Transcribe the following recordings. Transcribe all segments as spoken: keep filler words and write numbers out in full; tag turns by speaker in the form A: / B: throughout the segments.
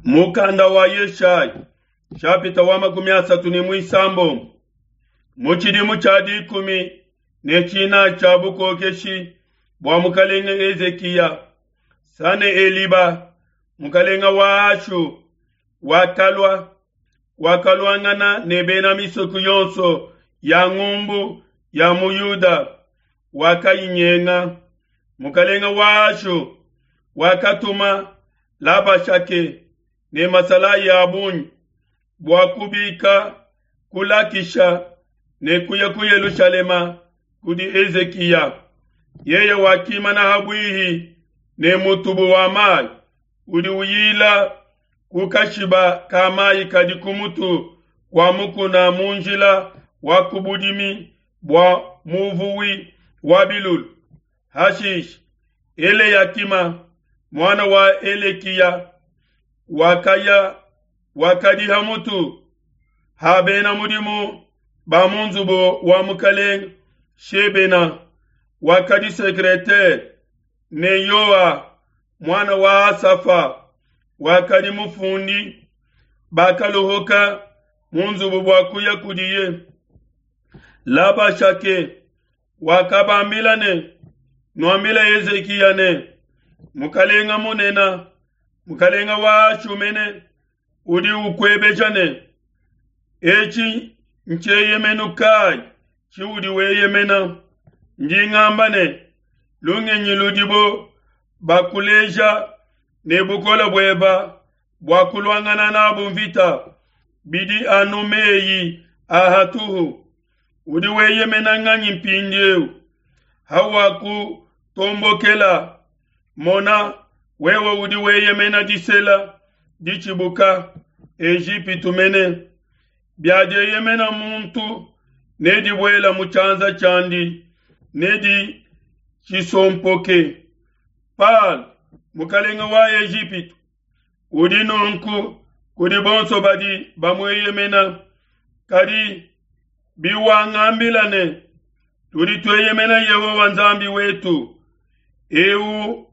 A: Mukanda wa Yeshaya nshapita wa makumi asatu ne muisambombo mu tshidimu tshia dikumi ne tshinayi tshia bukokeshi bua mukalenge Hezikiya, Saneheliba mukalenge wa Ashu wakalua wakaluangana ne bena misoko yonso ya ngumbu ya mu Yuda, wakayinyenga. Mukalenge wa Ashu wakatuma Labashake ne masalayi a bungi bua kubika ku Lakisha ne kuya ku Yelushalema kudi Hezikiya. Yeye wakimana habwihi ne mutubu wa mayi udi uyila ku kashiba ka mayi kadi ku mutu kua mukuna mu njila wa ku budimi bua muvuwi wa bilulu. Hashishe Eleyakima muana wa Elekiya wakaya wakadi ha mutu ha bena mudimu ba mu nzubu wa mukalenge Shebena wakadi secretaire, ne Yoa muana wa Asafa wakadi mufundi. Bakaluhuka mu nzubu bua kuya kudiye. Labashake wakabambila ne, nuambile Hezikiya ne, mukalenga munene, mukalenga wa Ashu mene udi ukwebeja ne, etshi ntshieyemenu kayi tshiudi weyemena? Ndi ngamba ne, lungenyi ludibo bakuleja ne bukole bueba bua kuluangana nabu mvita bidi anu meyi a hatuhu. Udi weyemena nganyi mpindieu? Hawakutombokela, mona, wewe udi weyemena disela ditshibuka Ejipitu mene. Biadieyemena muntu nedibuela mu tshianza tshiandi, neditshisompoke. Palo mukalenge wa Ejipitu udi nunku kudi bonso badi bamueyemena. Kadi biwangambila ne, tudi tueyemena Yehowa Nzambi wetu, eu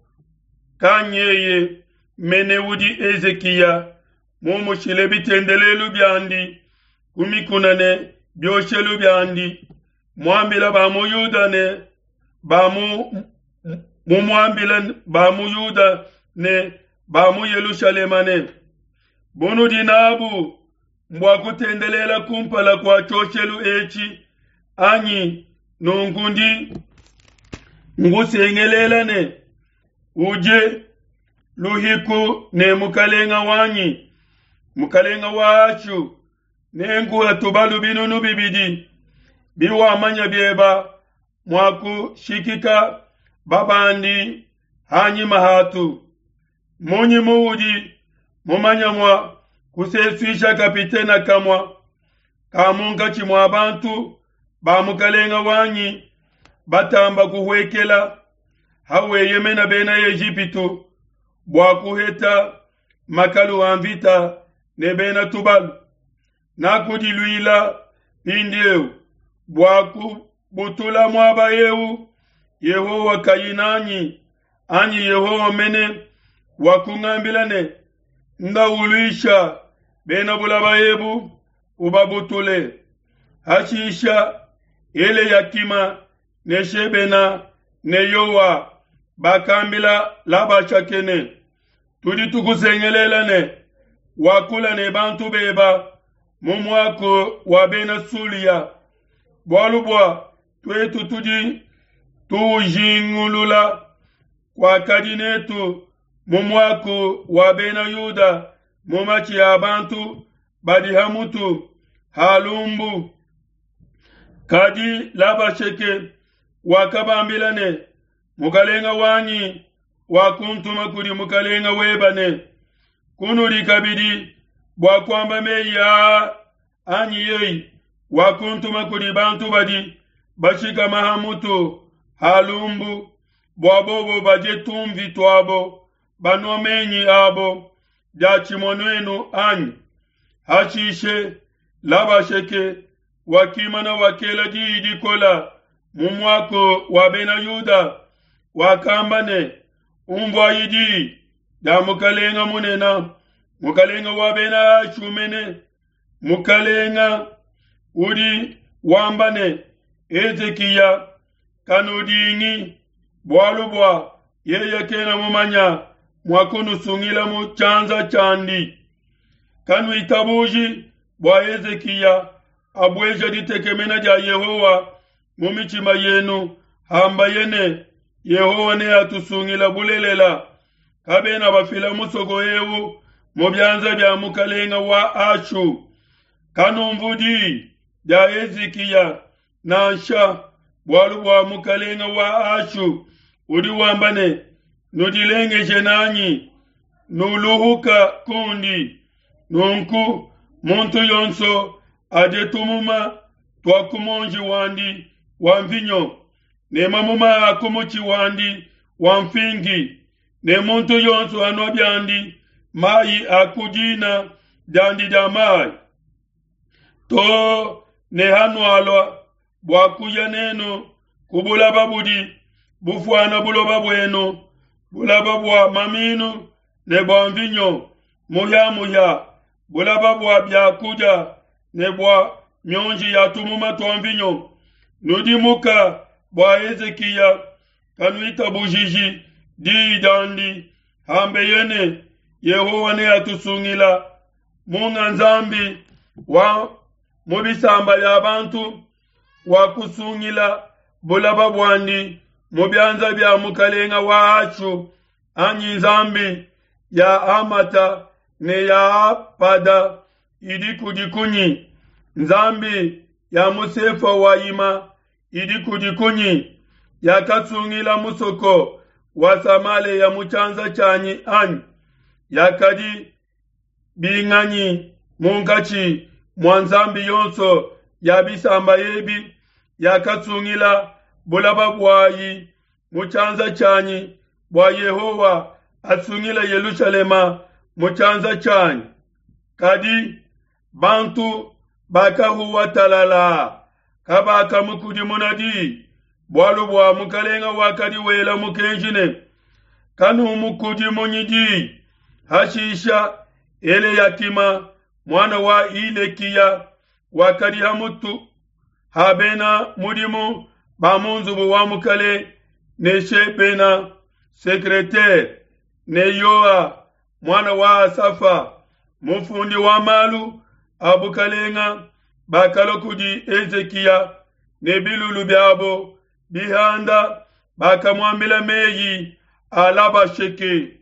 A: kanyeye mene udi Hezikiya mumushile bitendelelu biandi ku mikuna ne bioshelu biandi, muambila ba mu Yuda ne ba mu mumuambila ba mu Yuda ne ba mu Yelushalema ne, bunudi nabu mbua kutendelela kumpala kua tshioshelu etshi anyi? Nunku ndi nkusengelela ne, uje luhiku ne mukalenga wanyi, mukalenga wa Ashu, nenkuhe tubalu binunu bibidi biwamanya bieba mua kushikika babandi hanyima hatu. Munyi muudi mumanya mua kusesuisha kapitena kamua ka munkatshi mua bantu ba mukalenga wanyi batamba kuhuekela, haweyemena bena Ejipitu bua kuheta makalu a mvita ne bena tubalu. Nakudiluila mpindieu bua kubutula muaba eu, Yehowa kayi nanyi, anyi Yehowa mene wakungambila ne, ndauluisha bena bulaba ebu ubabutule. Hashisha Eleyakima ne Shebena ne Yoa bakambila Labashake ne, tudi tukusengelela ne, wakula ne bantu beba mu muaku wa bena Sulia, bualu bua tuetu tudi tuujingulula kuakadi netu mu muaku wa bena Yuda mu matshi a bantu badi ha mutu ha lumbu. Kadi Labashake wakabambila ne, mukalenga wanyi wakuntuma kudi mukalenga weba ne, kunudi kabidi bua kuamba meyi aa anyi yeye wakuntuma kudi bantu badi bashikama ha mutu ha lumbu, bua bobo badie tumvi tuabo banua menyi abo diatshimue nuenu anyi? Hashishe Labashake wakimana wakela diyi dikola mu muaku wa bena Yuda, wakamba ne, umvuayi diyi dia mukalenga munene, Mukalenga wa bena Ashu mene, mukalenga udi wamba ne, Hezikiya kanudingi, bualu bua yeye kena mumanya mua kunusungila mu tshianza tshiandi. Kanuitabuji bua Hezikiya abueja ditekemena dia Yehowa mu mitshima yenu, hambaye ne, Yehowa neatusungila bulelela. Kabena bafila musoko eu mu bianza bia mukalenga wa Ashu. Kanumvu di dia Hezikiya nansha, bualu bua mukalenga wa Ashu udi wamba ne, nudilengeje nanyi, nuluhuka kundi. Nunku muntu yonso adie tumuma tua ku muonji wandi wa mvinyo ne mamuma a ku mutshi wandi wa mfingi, ne muntu yonso anua biandi mayi a ku dina diandi dia mayi, to ne hanualua bua kuya nenu ku bulaba budi bufuana buloba buenu, bulaba bua maminu ne bua mvinyo muhia-muhia, bulaba bua biakudia ne bua mionji ya tumuma tua mvinyo. Nudimuka bua Hezikiya kanuitabujiji diyi diandi, hambeye ne, Yehowa neatusungila. Munga nzambi wa mu bisamba bia bantu wakusungila bulaba buandi mu bianza bia mukalenga wa Ashu, anyi nzambi ya Hamata ne ya Apada idi kudi kunyi? Nzambi ya mu Sefawayima idi kudi kunyi? Yakasungila musoko wa Samalea mu tshianza tshianyi anyi? Yakadi binganyi munkatshi mua nzambi yonso ya bisamba ebi yakasungila bulaba buayi mu tshianza tshianyi, bua Yehowa asungile Yelushalema mu tshianza tshianyi? Kadi bantu bakahuwa talala, kabakamukudimuna di, bualu bua mukalenga wakadi wela mukenji ne, kanumukudimunyi di. Hashisha Eleyakima muana wa Hilekiya wakadi ha mutu ha bena mudimu ba mu nzubu wa mukalenge, ne Shebena secretaire, ne Yoa muana wa Asafa mufundi wa malu a bukalenga, bakalua kudi Hezikiya ne bilulu biabo bihanda, bakamuambila meyi a Labasheke.